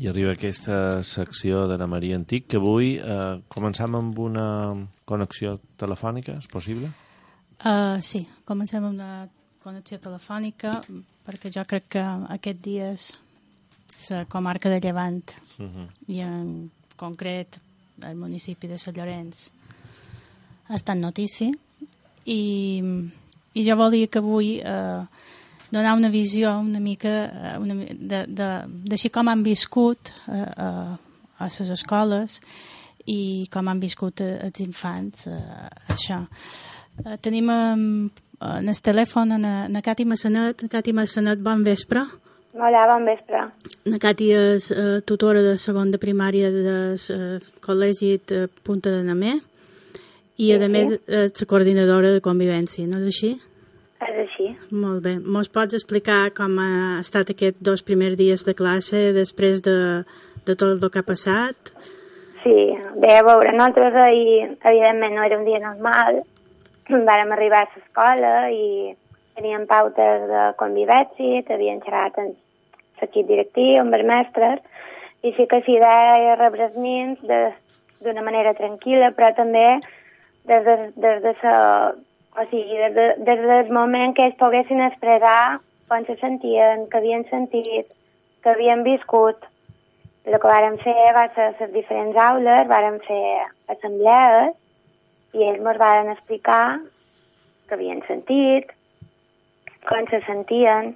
arriba aquesta secció d'Anna Maria Antic, que avui comencem amb una connexió telefònica, és possible? Sí, comencem amb una connexió telefònica, perquè jo crec que aquests dies la comarca de Llevant i en concret el municipi de Sant Llorenç ha estat notícia i jo volia que avui donar una visió una mica d'així com han viscut a les escoles i com han viscut els infants això. Tenim en el telèfon na Cati Massanet. Cati Massanet, bon vespre. Hola, bon vespre. Na Cati és tutora de segon de primària del col·legi de Punta de Namé i a més és la coordinadora de convivència, no és així? És així. Molt bé. Mos pots explicar com ha estat aquests 2 primers dies de classe després de tot el que ha passat? Sí, bé, a veure, nosaltres ahir, evidentment, no era un dia normal. Vàrem arribar a l'escola i teníem pautes de convivència, havien xerrat amb l'equip directiu, amb els mestres, i sí que s'hi deia rebre els nens d'una manera tranquil·la, però també des del moment que ells poguessin expressar com se sentien, que havien sentit, que havien viscut. El que vàrem fer va ser a les diferents aules, vàrem fer assemblees i ells ens varen explicar que havien sentit, com se sentien.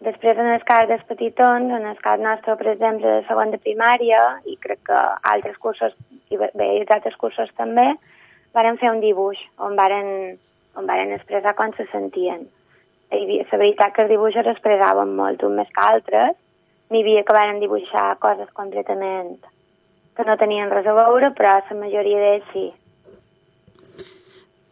Després, en el cas dels petitons, en el cas nostre, per exemple, de segon de primària, i crec que altres cursos, i altres cursos també, varen fer un dibuix on varen expressar com se sentien. La veritat que els dibuixos expressaven molt, uns més que altres. N'hi havia que varen dibuixar coses completament que no tenien res a veure, però la majoria d'ells sí.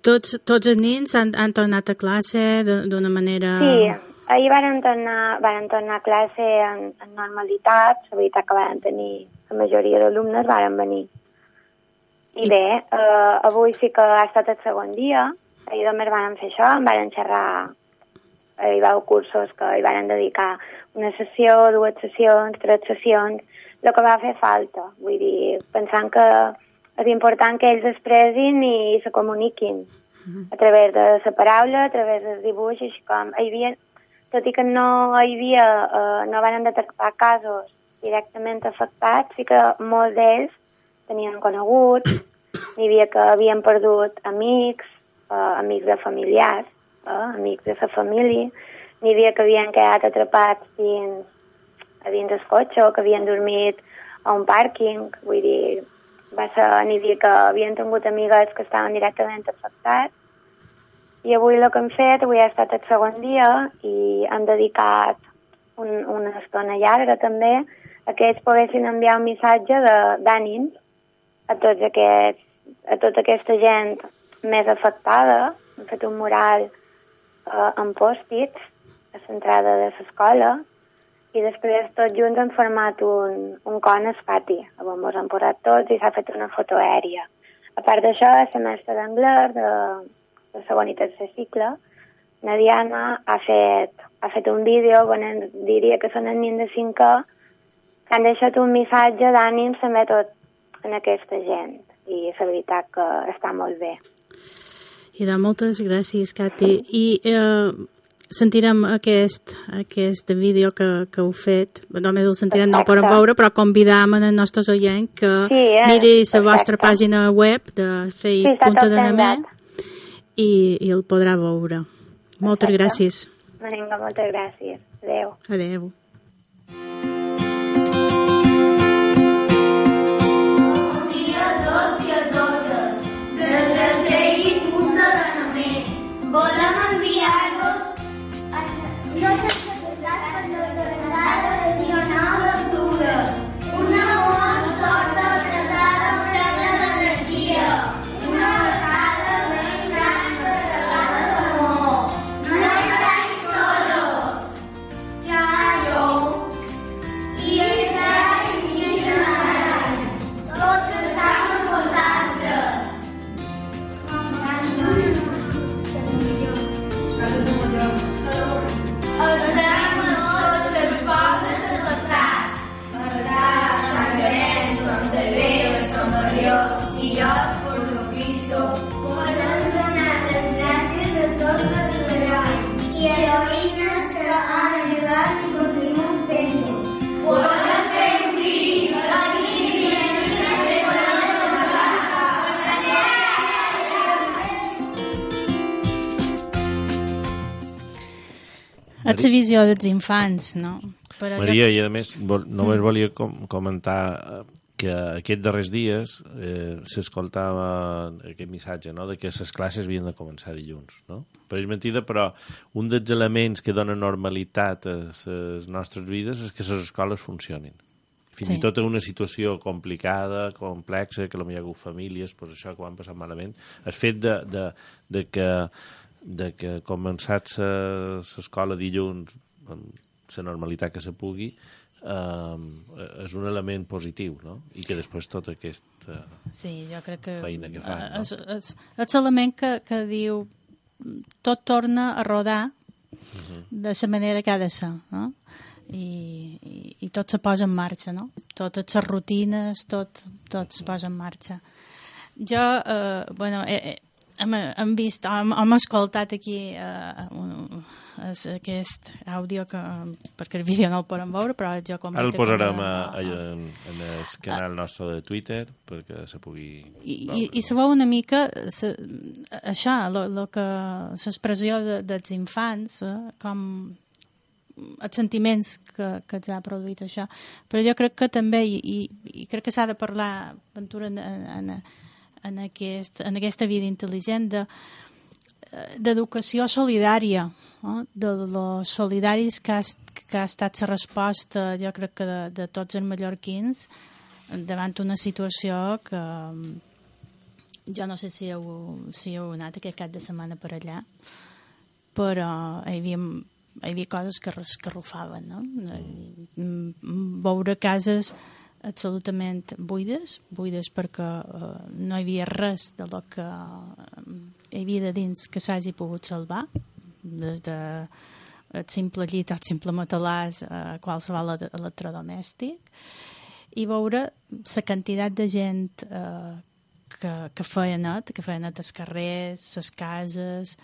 Tots els nens han tornat a classe d'una manera... Sí, ahir varen tornar a classe en normalitat, la veritat que varen tenir, la majoria d'alumnes varen venir. I bé, avui sí que ha estat el segon dia, ahir només varen fer això, em varen xerrar, hi va haver cursos que hi varen dedicar una sessió, 2 sessions, 3 sessions, el que va fer falta, vull dir, pensant que és important que ells expressin i se comuniquin a través de la paraula, a través del dibuix, així com hi havia, tot i que no van detectar casos directament afectats, sí que molts d'ells tenien coneguts, n'hi havia que havien perdut amics, amics de familiars, amics de la família, n'hi havia que havien quedat atrapats dins el cotxe o que havien dormit a un pàrquing, vull dir, n'hi havia que havien tingut amigues que estaven directament afectats. I avui el que hem fet, avui ha estat el segon dia i hem dedicat una estona llarga també a que ells poguessin enviar un missatge d'ànim a tota aquesta gent més afectada. Hem fet un mural amb pòstits a l'entrada de l'escola i després tots junts hem format un con al pati, on ens hem posat tots i s'ha fet una foto aèria. A part d'això, la mestra d'anglès de segon i tercer cicle, la Diana ha fet un vídeo on diria que són els nens de 5è que han deixat un missatge d'ànim també tot en aquesta gent i la veritat que està molt bé. I moltes gràcies, Cati. I sentirem aquest vídeo que heu fet, només el sentirem, no el podem veure, però convidam els nostres oients que miri la vostra pàgina web de fei.de i el podrà veure. Moltes gràcies. Vinga, moltes gràcies. Adéu. Adéu. Bon dia a tots i a totes. Des de Cell i Punta de Namé volem enviar-vos nostres felicitats per la jornada del dia 9 d'octubre. Una molt forta abraçada plena d'energia. Una abraçada ben gran carregada d'amor. No estáis solos. Chayo. Dios, por Cristo, podem donar les gràcies a tots els herois i heroïnes que han ajudat i continuen fent-ho. Podem fer un crit aquí i És la visió dels infants, no? Però Maria, i a més, només volia comentar que aquests darrers dies s'escoltava aquest missatge, no?, de que les classes havien de començar dilluns, no? Pareix mentida, però un dels elements que dona normalitat a les nostres vides és que les escoles funcionin. Fins i tot en una situació complicada, complexa, que potser hi ha hagut famílies, doncs això que ho han passat malament, el fet de que començat l'escola dilluns amb la normalitat que se pugui és un element positiu, no? I que després tota aquesta jo crec que feina que fan, no? És l'element que diu tot torna a rodar de la manera que ha de ser, no? I tot se posa en marxa, no? Totes les rutines, tot se posa en marxa. Jo, hem vist, hem escoltat aquí aquest àudio, perquè el vídeo no el podem veure, però jo ara el posarem en el canal nostre de Twitter perquè se pugui i se veu una mica això, l'expressió dels infants, com els sentiments que ens ha produït això, però jo crec que també i crec que s'ha de parlar, Ventura, en aquesta vida intel·ligent d'educació solidària, no? De los solidaris que ha estat la resposta, jo crec que de tots els mallorquins davant una situació que jo no sé si heu anat aquest cap de setmana per allà, però hi havia coses que rufaven, no? Veure cases absolutament buides perquè no hi havia res de lo que hi havia de dins que s'hagi pogut salvar, des de el simple llit, el simple matalàs, qualsevol electrodomèstic, i veure la quantitat de gent que feia net als carrers, les cases,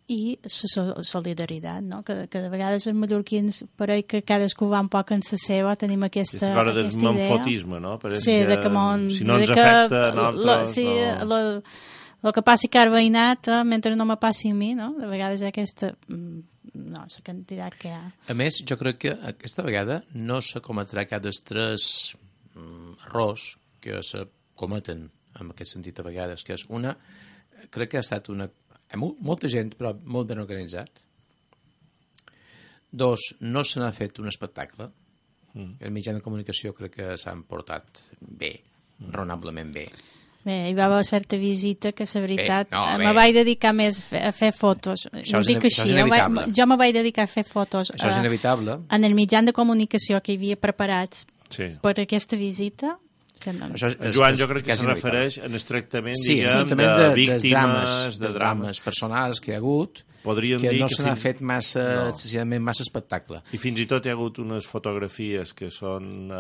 i la solidaritat, no? Que de vegades els mallorquins pareix que cadascú va un poc en la seva, tenim aquesta idea. Del manfotisme, no? Sí, si no ens afecta a nosaltres... El que passi que ha veïnat, mentre no me passi a mi, no? De vegades hi ha aquesta... No, la quantitat que hi ha. A més, jo crec que aquesta vegada no se cometrà cap dels tres errors que se cometen en aquest sentit a vegades, que és una... Crec que ha estat una... Molta gent, però molt ben organitzat. Dos, no se n'ha fet un espectacle. El mitjà de comunicació crec que s'han portat bé, raonablement bé. Bé, hi va haver certa visita que, la veritat, me vaig dedicar més a fer fotos. Això és inevitable. Jo me vaig dedicar a fer fotos. Això és inevitable. En el mitjà de comunicació que hi havia preparats per aquesta visita. Joan, jo crec que se refereix en el tractament, diguem, de víctimes, de drames personals que hi ha hagut, que no se n'ha fet excessivament massa espectacle. I fins i tot hi ha hagut unes fotografies que són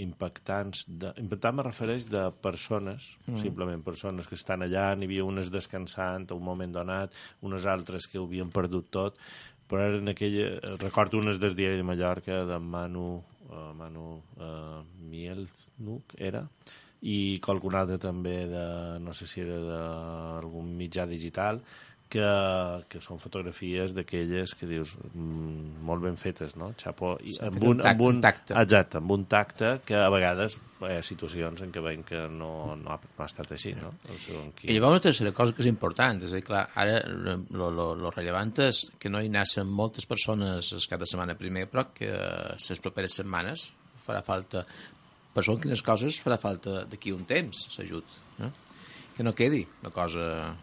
impactants. Impactant me refereix de persones, simplement persones que estan allà, n'hi havia unes descansant a un moment donat, unes altres que ho havien perdut tot, però era en aquella... Recordo unes del diari de Mallorca, d'en Manu Mielznuk, era, i qualcun altre també de, no sé si era d'algun mitjà digital, que són fotografies d'aquelles que dius molt ben fetes, no? Xapo, amb un tacte. Exacte, amb un tacte que a vegades hi ha situacions en què veiem que no ha estat així, no? I llavors una tercera cosa que és important, és a dir, clar, ara lo rellevant és que no hi naixen moltes persones cada setmana primer, però que les properes setmanes farà falta, per són quines coses farà falta d'aquí un temps, s'ajut, que no quedi una cosa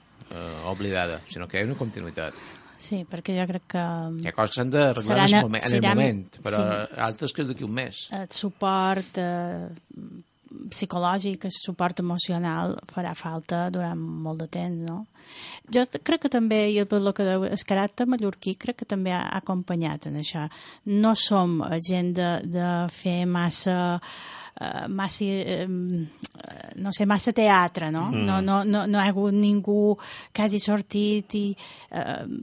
oblidada, sinó que hi ha una continuïtat. Sí, perquè jo crec que... Hi ha coses que s'han d'arreglar en el moment, però altres que és d'aquí un mes. El suport psicològic, el suport emocional farà falta durant molt de temps, no? Jo crec que també, i el que el caràcter mallorquí crec que també ha acompanyat en això. No som gent de fer massa massa teatre, no? No hi ha hagut ningú que hagi sortit i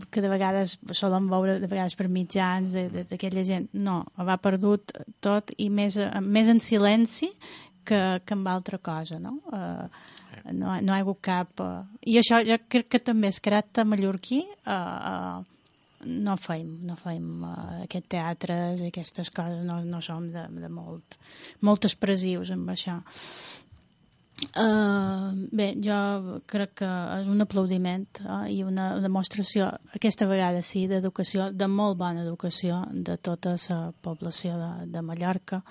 que de vegades solen veure de vegades per mitjans d'aquella gent. No, ho va perdut tot i més en silenci que amb altra cosa, no? No hi ha hagut cap... I això jo crec que també és caràcter mallorquí. No feim aquest teatres i aquestes coses, no som de molt expressius amb això. Bé, jo crec que és un aplaudiment i una demostració, aquesta vegada sí, d'educació, de molt bona educació de tota la població de Mallorca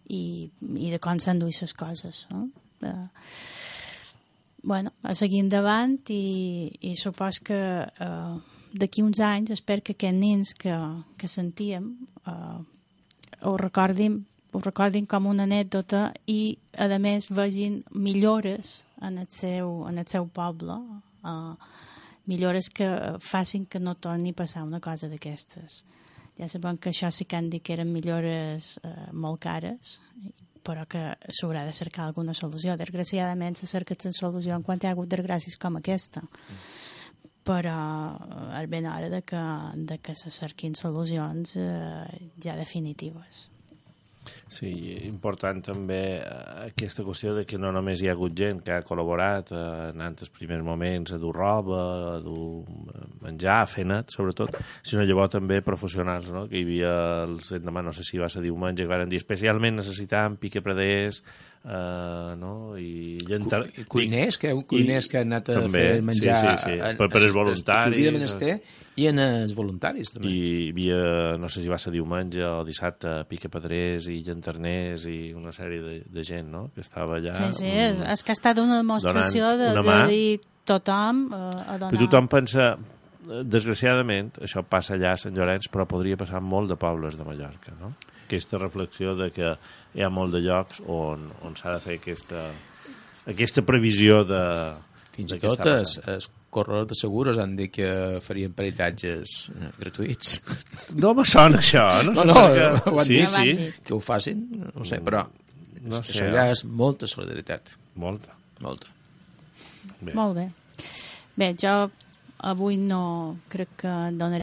i de com s'han duit les coses. Bueno, a seguir endavant i supos que d'aquí uns anys espero que aquests nens que sentíem ho recordin com una anècdota i a més vegin millores en el seu poble, millores que facin que no torni a passar una cosa d'aquestes. Ja sabem que això sí que han dit que eren millores molt cares, però que s'haurà de cercar alguna solució. Desgraciadament se cerca la solució quan hi ha hagut desgràcies com aquesta. Però és ben hora de que se cerquin solucions ja definitives. Sí, important també aquesta qüestió de que no només hi ha hagut gent que ha col·laborat en els primers moments a dur roba, a dur menjar, a fer net, sobretot, sinó llavors també professionals, no? Que hi havia els endemà, no sé si va ser diumenge, que van dir especialment necessitàvem piquepreders, no? I cuiners que han anat a fer menjar per els voluntaris de menester i en els voluntaris també. I hi havia, no sé si va ser diumenge o dissabte, piquepedrers i llanterners i una sèrie de gent, no? Que estava allà sí, és que ha estat una demostració de dir tothom a donar. Però tothom pensa, desgraciadament això passa allà a Sant Llorenç, però podria passar en molt de pobles de Mallorca, no? Aquesta reflexió de que hi ha molt de llocs on s'ha de fer aquesta previsió de... Fins i tot els corredors de segures han dit que farien peritatges gratuïts. No me sona això. No, ho han dit. Que ho facin, no sé, però això ja és molta solidaritat. Molta. Molt bé. Bé, jo avui no crec que donaré